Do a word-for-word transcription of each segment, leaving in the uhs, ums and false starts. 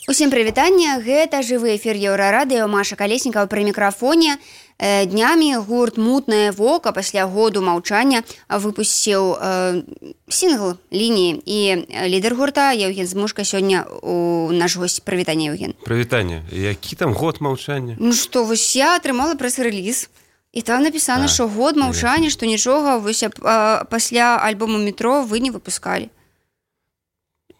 Усім прывітанне, гэта жывы эфір Еўрарадыё, Маша Калеснікава пры мікрафоне. Днямі гурт «Мутнае вока» пасля году маўчання выпусціў э, сінгл «Лініі». І лідар гурта Еўген Змушка сёння у наш госць. Прывітанне, Еўген. Прывітанне. Які там год маўчання? Ну што, вось я атрымала прэс-рэліз. І там напісана, што год маўчання, што нічога вось, а, пасля альбому «Метро» вы не выпускалі.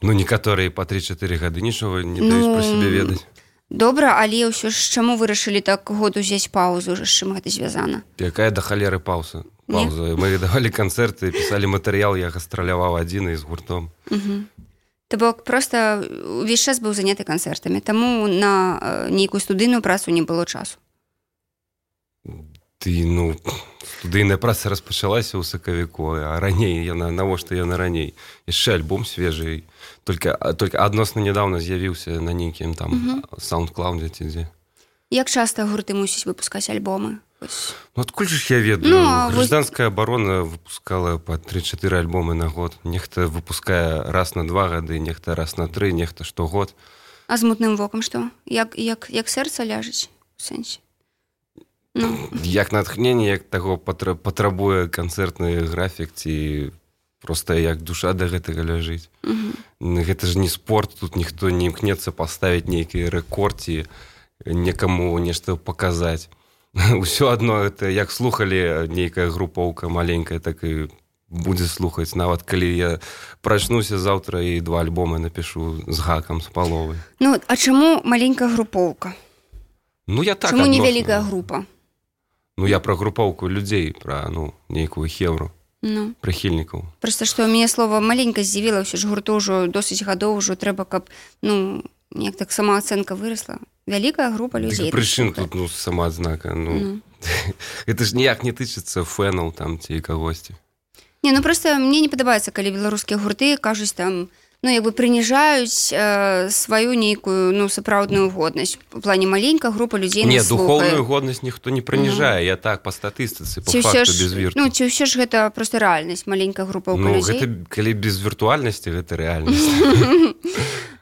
Ну, некаторыя па тры-чатыры гады нічога не даюць ну, пра сябе ведаць. Добра, але ўсё ж чаму вырашылі так год узяць паузу, з чым гэта звязана? Якая да халеры паўза? Пауза. Мы давалі канцэрты, пісалі матэрыял, я гастраляваў адзін і з гуртом. Угу. То бок проста увесь час быў заняты канцэртамі, таму на нейкую студыйную працу не было часу. Ты, ну, студыйная праца распачалася ў сакавіку, а раней яна, навошта яна раней? Яшчэ альбом свежы, только, только адносна нядаўна з'явіўся на нейкім там uh-huh. SoundCloud ці дзе. Як часта гурты мусіць выпускаць альбомы? Ну, адкуль ж я ведаю? Ну, Гражданская вы... абарона выпускала па тры-чатыры альбомы на год. Нехта выпускае раз на два гады, нехта раз на тры, нехта штогод. А з «Мутным вокам» што? Як, як, як сэрца ляжыць у сэнсе? Ну. Як натхненне, як таго патрабуе канцэртны графік, ці проста як душа да гэтага ляжыць. Uh-huh. Гэта ж не спорт, тут ніхто не імкнецца паставіць нейкі рэкорд ці некаму нешта паказаць. Усё адно, это як слухалі нейкая групоўка маленькая, так і будзе слухаць. Нават калі я прачнуся заўтра і два альбомы напішу з гакам, з паловай. Ну, а чаму маленькая групоўка? Ну, я так чаму адносно. Невялікая група? Ну, я пра групоўку людзей, пра, ну, нейкую хеўру, ну. Прыхільнікаў. Проста, што мяне слова маленька здзівіла, ўсё ж гурту ўжо досыць гадоў, ўжо трэба, каб, ну, неяк так самаацэнка вырасла. Вялікая група людзей. Прычым тут, ну, самаадзнака, ну, ну. Гэта ж ніяк не тычыцца фэнаў там ці кагосьці. Не, ну, проста мне не падабаецца, калі беларускія гурты кажуць там, ну, як бы прыніжаюць э, сваю нейкую, ну, сапраўдную годнасць. У плане маленькая група людзей не, нас слухае. Не, духоўную годнасць ніхто не прыніжае, ну. Я так, па статыстыцы, па факту, ж, без вірту. Ну, ці ўсё ж гэта проста рэальнасць, маленькая група ну, людзей? Ну, гэта, калі без віртуальнасці, гэта рэальнасць.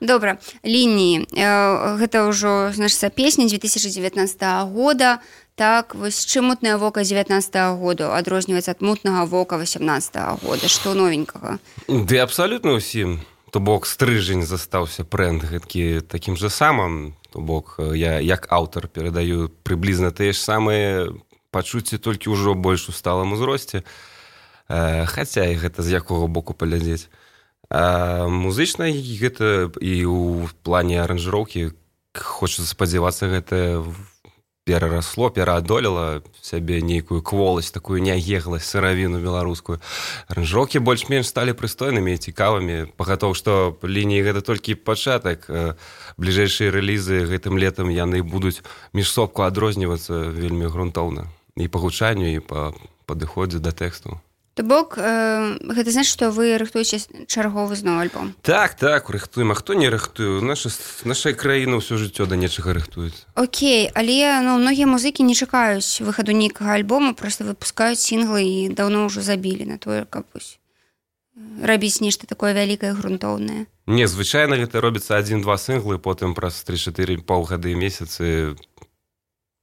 Добра, «Лініі». Гэта ўжо, значыцца, песня дзве тысячы дзевятнаццатага года. Так, вось чым «Мутнае вока» дзевятнаццатага года адрозніваецца ад «Мутнага вока» васямнаццатага года? Што новенькага? Ды абсалютна ўсім. То бок стрыжень застаўся брэнд гэткі такім жа самым, то бок я як аўтар перадаю прыблізна тыя ж самыя пачуцці, толькі ўжо больш у сталым узросце, э, хаця і гэта з якога боку паглядзець. А музычна гэта і ў плане аранжыроўкі хочацца спадзявацца, гэта перарасло, пераадолела сябе нейкую кволасць, такую няегласць, сыравіну беларускую. Аранжыроўкі больш-менш сталі прыстойнымі і цікавымі. Пагатоў, што «Лініі» гэта толькі пачатак. Бліжэйшыя рэлізы гэтым летам яны будуць міжсобку адрознівацца вельмі грунтоўна. І па гучанню, і па падыходзе да тэксту. То бок, э, гэта значыць, што вы рыхтуеце чарговы зноў альбом? Так, так, рыхтуем. А хто не рыхтуе? Наша, наша краіна ўсё жыццё да нечага рыхтуецца. Окей, але ну, многія музыкі не чакаюць выхаду нейкага альбому, проста выпускаюць сінглы і даўно ўжо забілі на тое, каб рабіць нешта такое вялікае, грунтоўнае. Не, звычайна гэта робіцца адзін-два сінглы, потым праз тры-чатыры паўгады месяцы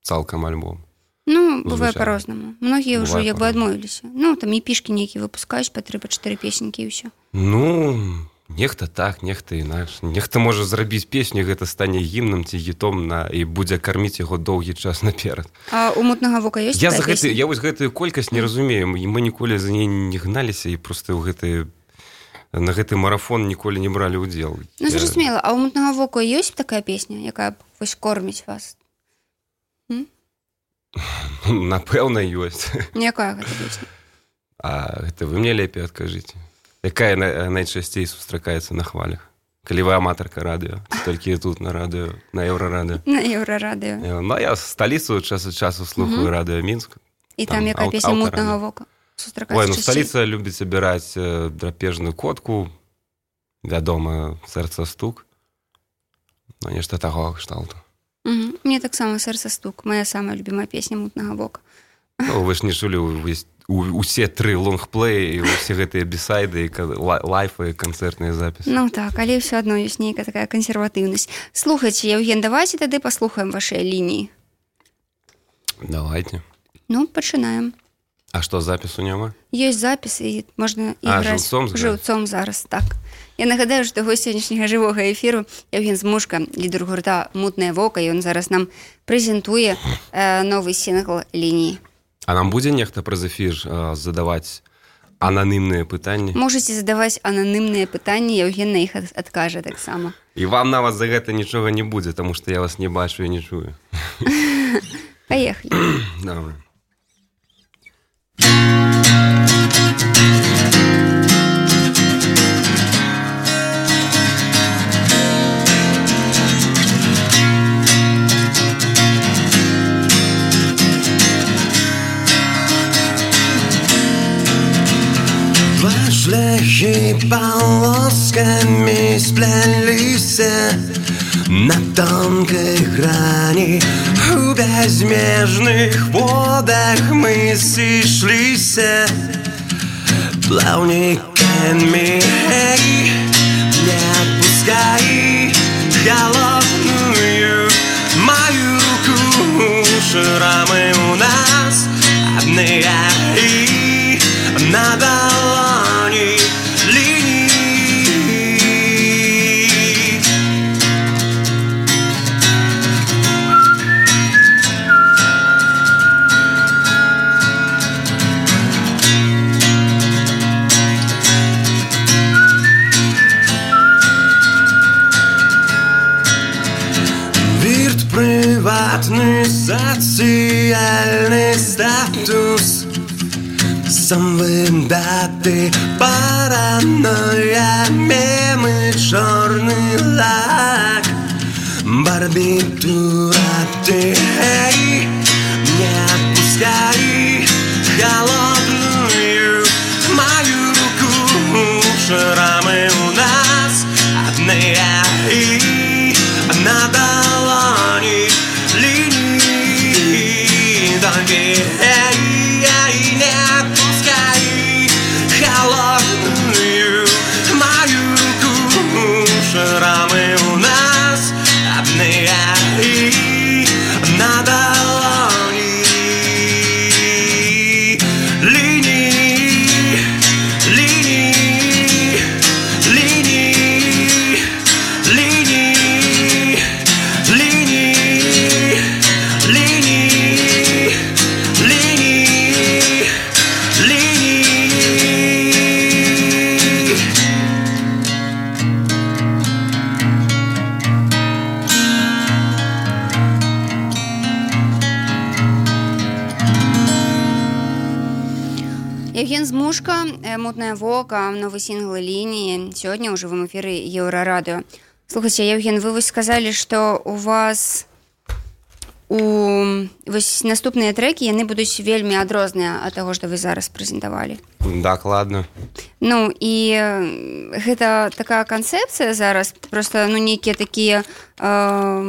цалкам альбом. Ну, бывае па-рознаму. Многія бывае ўжо як бы адмовіліся. Ну, там епішкі нейкі выпускаюць па тры-чатыры песенькі і ўсё. Ну, нехта так, нехта інакш. Нехта можа зрабіць песню, гэта стане гімнам ці гітом на, і будзе карміць яго доўгі час наперад. А у «Мутнага вока» ёсць я такая гэты, песня? Я вось гэтую колькасць не разумею. Мы ніколі за ней не гналіся і проста ў гэты, на гэты марафон ніколі не бралі ўдзел. Ну, зразумела. А у «Мутнага вока» ёсць такая песня, якая вось корміць вас? М? Напэўна, ёсць. Якая гэта песня? А гэта вы мне лепей адкажыце. Якая найчасцей сустракаецца на хвалях? Калі вы аматарка радыё, толькі тут на радыё, на Еўрарадыё. На Еўрарадыё. Ну, я сталіцу час ад часу слухаю uh-huh. радыё Мінск. І там, там якая ау- песня «Мутнага вока» сустракаецца? Ой, ну сталіца любіць абіраць драпежную котку, вядома, «Сэрца стук». Ну, нешта такога кшталту. Угу. Мне таксама «Сэрца стук», моя самая любимая песня «Мутнага вока». Ну, вы ж не чулі усе тры лонгплеі, усе гэтыя бісайды, лайфы, канцэртныя запісы. Ну так, але ўсё адно ёсць нейкая такая кансерватыўнасць. Слухайце, Евген, давайте тады паслухаем вашыя лініі. Давайте. Ну, пачынаем. А што, запісу няма? Ёсць запіс, і можна а, іграць жыўцом, жыўцом зараз, так. Я нагадаю, што гость сённяшняга жывога эфіру Евген Змушка, лідар гурта «Мутнае вока», і ён зараз нам прэзентуе э, новы сінгл «Лініі». А нам будзе нехта праз эфір э, задаваць ананімныя пытанні? Можаце задаваць ананімныя пытанні, Евген на іх адкажа таксама. І вам нават за гэта нічога не будзе, таму што я вас не бачу і не чую. Паехалі. Давай. Шляхи полосками сплелись на тонкой грани. В безмежных водах мы сошлись плавниками. Не отпускай холодную мою руку. Шрамы у нас одни и на долони линии. Вирт приватный социальный статус. Самым даты, паранойя, мемы, черный лак, барбитура, ты, эй, не отпускай холодную мою руку. Шрамы у нас одни и на долони линии. Только эй, эй, не холодную мою руку. Шрамы у нас одни и на долони линии, линии, линии, линии, линии, линии, линии, линии. Евген Змушка, «Мутное вока», новый сингл «Линии». Сегодня уже в эфире Еврорадио. Слухайте, Евген, вы вось сказали, что у вас у вось наступныя трекі, яны будуць вельмі адрозныя ад таго, што вы зараз прэзентавалі. Дакладна. Ну, і гэта такая канцэпцыя зараз, проста, ну, нейкія такія э,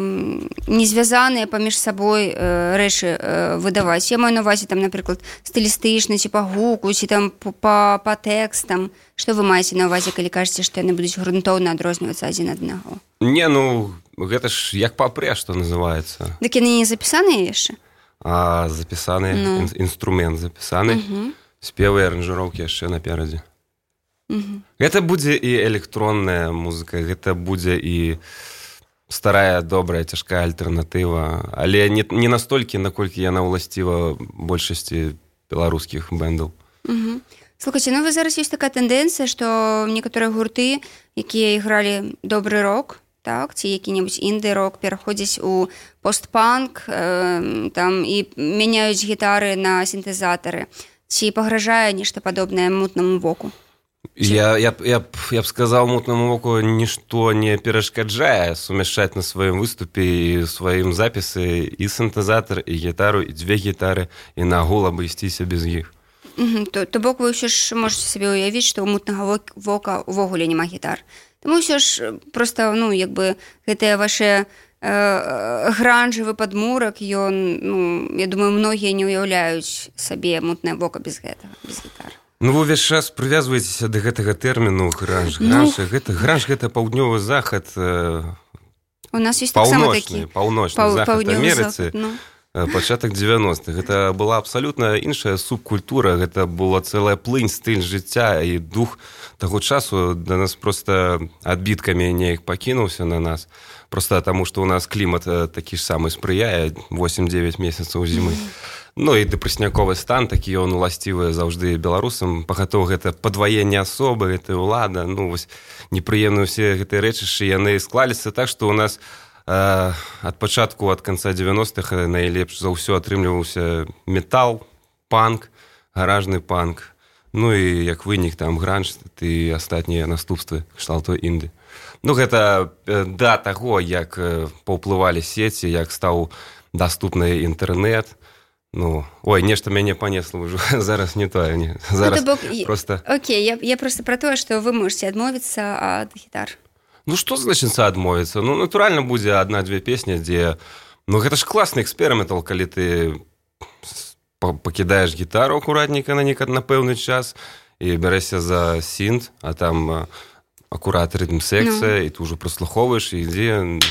незвязаныя паміж сабой э, рэчы э, выдаваць. Я маю на увазе, там, напрыклад, стылістычна, ці па гуку, ці там па, па тэкстам. Што вы маеце на увазе, калі кажаце, што яны будуць грунтоўна адрознівацца адзін ад аднаго? Не, ну, гэта ж як папрэ, што называецца. Дык яны не запісаныя яшчэ? А, запісаны, ну. ін, інструмент запісаны. Uh-huh. Спевы і аранжыроўкі яшчэ наперадзе. Uh-huh. Гэта будзе і электронная музыка, гэта будзе і старая, добрая, цяжкая альтэрнатыва, але не, не настолькі, наколькі яна ўласціва большасці беларускіх бэндаў. Uh-huh. Слухайце, ну вы зараз ёсць такая тэндэнцыя, што некаторыя гурты, якія ігралі добры рок, так, ці які-небудзь інды-рок, пераходзяць у постпанк, э, там, і мяняюць гітары на сінтэзатары. Ці пагражае нешта падобнае «Мутнаму воку»? Я, я, я, я б сказаў, «Мутнаму воку» нішто не перашкаджае сумяшчаць на сваім выступе і сваім запісы і сінтэзатар, і гітару, і дзве гітары, і нагул абысціся без іх. Угу. То, то бок вы ўсё ж можете сабе ўявіць, што ў «Мутнага вока» увогуле няма гітар. Таму ўсё ж проста, ну, як бы гэтыя вашыя гранжавы падмурак, ён, ну, я думаю, многія не ўяўляюць сабе мутнае вока без гэтага, без гітары. Ну, вы ўвесь час прывязваецеся да гэтага тэрміну гранж. Гранж, ну, гэта, гранж гэта паўднёвы захад, у нас ёсць таксама такі паўночны захад Амерыцы, ну. Пачатак дзевяностых. Гэта была абсалютна іншая субкультура, гэта была цэлая плынь, стыль жыцця, і дух таго часу да нас проста адбіткамі неяк пакінуўся на нас. Проста таму, што ў нас клімат такі ж самы спрыяе, восем-дзевяць месяцаў зімы. Ну і дэпрэсняковы стан, такі ён уласцівы заўжды беларусам. Пагатоў гэта падваенне асобы, гэта ўлада, ну вось непрыемныя ўсе гэтыя рэчышчы, яны склаліся так, што ў нас ад пачатку, ад канца дзевяностых найлепш за ўсё атрымліваўся метал, панк, гаражны панк, ну і як вынік там гранж і астатнія наступствы кшталту інды. Ну гэта да таго, як паўплывалі сеці, як стаў даступны інтэрнэт. Ну, ой, нешта мяне панесла ўжо, зараз не тое, не. Зараз бок... просто... Окей, я, я просто про тое, што вы можете адмовіцца ад гітар. Ну, што значыцца адмовіцца? Ну, натуральна, будзе адна-дзве песні, дзе... Ну, гэта ж класны эксперыментал, калі ты пакідаеш гітару акуратненька на некад на пэўны час і бярэшся за сінт, а там акурат рытм-секцыя, ну. І ты ўжо праслухоўваеш, і ідзе...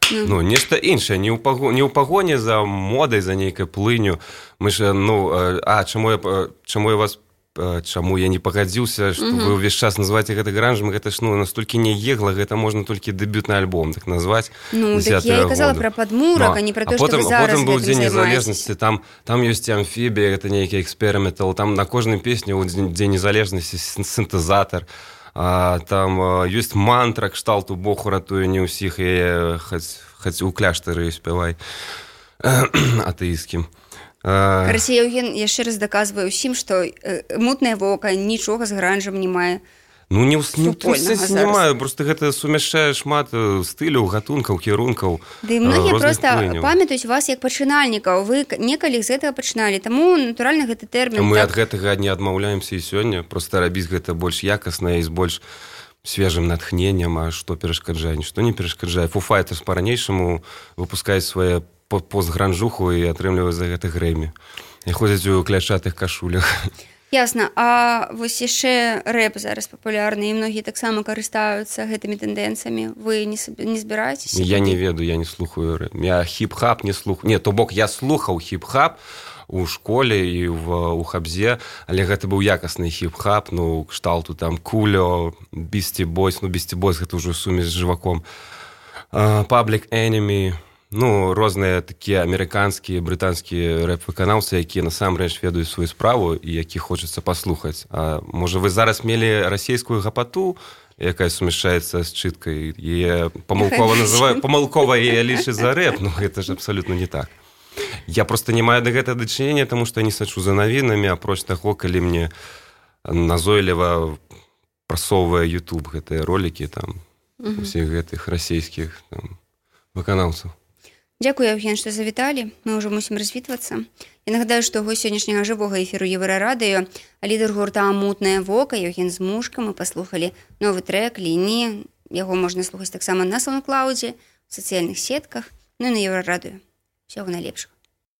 Ну, ну нешта іншае, не ў пагоні, пагоні за модай, за нейкай плыню. Мы ж, ну, а, чаму я, чаму я вас... Чаму я не пагадзіўся, што вы ўвесь час называеце гэта гранжам, гэта ж, ну, настолькі не егла, гэта можна толькі дэбютны альбом так назваць. Ну, так я і казала пра падмурак, а не пра то, што вы зараз гэтым займаецеся. А потым быў Дзень незалежнасці, там, там ёсць амфібія, гэта нейкі эксперыментал, там на кожнай песні ў Дзень незалежнасці сінтэзатар, а, там ёсць мантра кшталту Бог уратуе не ўсіх, і хаць у кляштары спявай атэісцкім. Карацей, Еўген яшчэ раз даказвае ўсім, што мутнае вока нічога з гранжам не мае. Ну, не ў не маю, проста гэта сумяшчае шмат стыляў, гатункаў, кірункаў. Да і многія проста памятаюць вас як пачынальнікаў. Вы некалі з гэтага пачыналі, таму, натуральна, гэты тэрмін... Мы ад гэтага не адмаўляемся і сёння, проста рабіць гэта больш якасна і з больш свежым натхненнем, а што перашкаджае, нішто не перашкаджае. Foo Fighters па-ранейшаму выпускаюць свае постгранжуху і атрымліваюць за гэта грэмі. І ходзяць у кляшчатых кашулях. Ясна. А вось яшчэ рэп зараз папулярны, і многія таксама карыстаюцца гэтымі тэндэнцыямі. Вы не, не збіраецеся? Я не ведаю, я не слухаю рэп. Я хіп-хап не слухаю. Не, то бок я слухаў хіп-хап у школе і в, у хабзе, але гэта быў якасны хіп-хап, ну, кшталту там Кулё, Beastie Boys, ну, Beastie Boys гэта ўжо сумесь з жываком. Uh, Public Enemy, ну, розныя такія амерыканскія, брытанскія рэп-выканаўцы, якія насамрэч ведаюць сваю справу і які хочацца паслухаць. А можа, вы зараз мелі расейскую гапату, якая сумяшчаецца з чыткай, і памылкова называю, памылкова яе лічаць за рэп, ну, гэта ж абсалютна не так. Я проста не маю да гэтага дачынення, таму што я не сачу за навінамі, апроч таго, калі мне назойліва прасоўвае YouTube гэтыя ролікі, там, усіх гэтых расейскіх там выканаўцаў. Дзякую, Еўген, што завіталі. Мы ўжо мусім развітвацца. Я нагадаю, што гость сённяшняга жывога эфіру Еўрарадыё, лідар гурта «Мутнае вока» Еўген Змушка. Мы паслухалі новы трэк «Лініі». Яго можна слухаць таксама на SoundCloud, у сацыяльных сетках, ну і на Еўрарадыё. Усяго найлепшага.